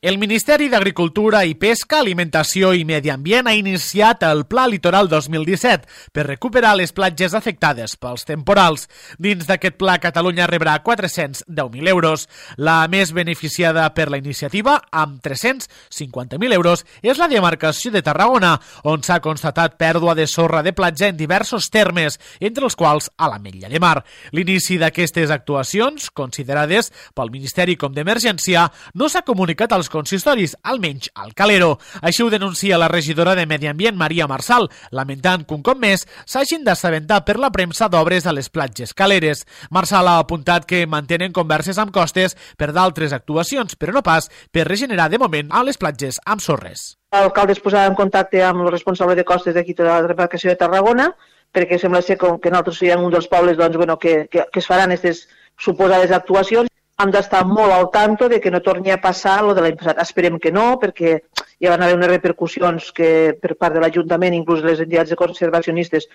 El Ministeri d'Agricultura i Pesca, Alimentació i Medi Ambient ha iniciat el Pla Litoral 2017 per recuperar les platges afectades pels temporals. Dins d'aquest pla, Catalunya rebrà 410.000 euros. La més beneficiada per la iniciativa, amb 350.000 euros, és la demarcació de Tarragona, on s'ha constatat pèrdua de sorra de platja en diversos termes, entre els quals a l'Ametlla de Mar. L'inici d'aquestes actuacions, considerades pel Ministeri com d'emergència, no s'ha comunicat als consistoris, almenys al Calero. Així ho denuncia la regidora de Medi Ambient, Maria Marsal, lamentant que un cop més s'hagin d'assabentar per la premsa d'obres a les platges caleres. Marsal ha apuntat que mantenen converses amb Costes per d'altres actuacions, però no pas per regenerar de moment a les platges amb sorres. L'alcalde es posarà en contacte amb el responsable de Costes d'aquí de la demarcació de Tarragona, perquè sembla ser que nosaltres serem un dels pobles que es faran aquestes suposades actuacions. Hem d'estar molt al tanto de que no torni a passar el de l'any passat. Esperem que no, perquè hi van haver unes repercussions que per part de l'Ajuntament, inclús les entitats conservacionistes,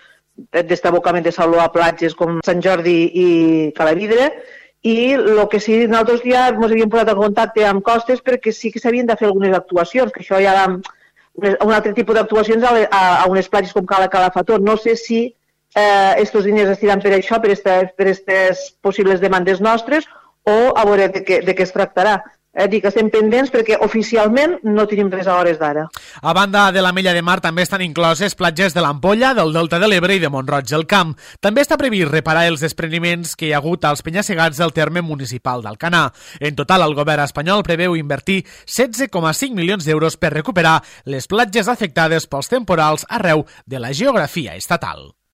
d'estabocament de saló a platges com Sant Jordi i Calavidre, i el que sí, nosaltres ja ens havíem posat en contacte amb Costes perquè sí que s'havien de fer algunes actuacions, que això ja era un altre tipus d'actuacions a unes platges com Cala Calafató. No sé si estos diners es tiran per això, per aquestes possibles demandes nostres, o a veure de què es tractarà. Dic que estem pendents perquè oficialment no tenim res a hores d'ara. A banda de l'Ametlla de Mar també estan incloses platges de l'Ampolla, del Delta de l'Ebre i de Mont-roig del Camp. També està previst reparar els despreniments que hi ha hagut als penya-segats del terme municipal d'Alcanar. En total, el govern espanyol preveu invertir 16,5 milions d'euros per recuperar les platges afectades pels temporals arreu de la geografia estatal.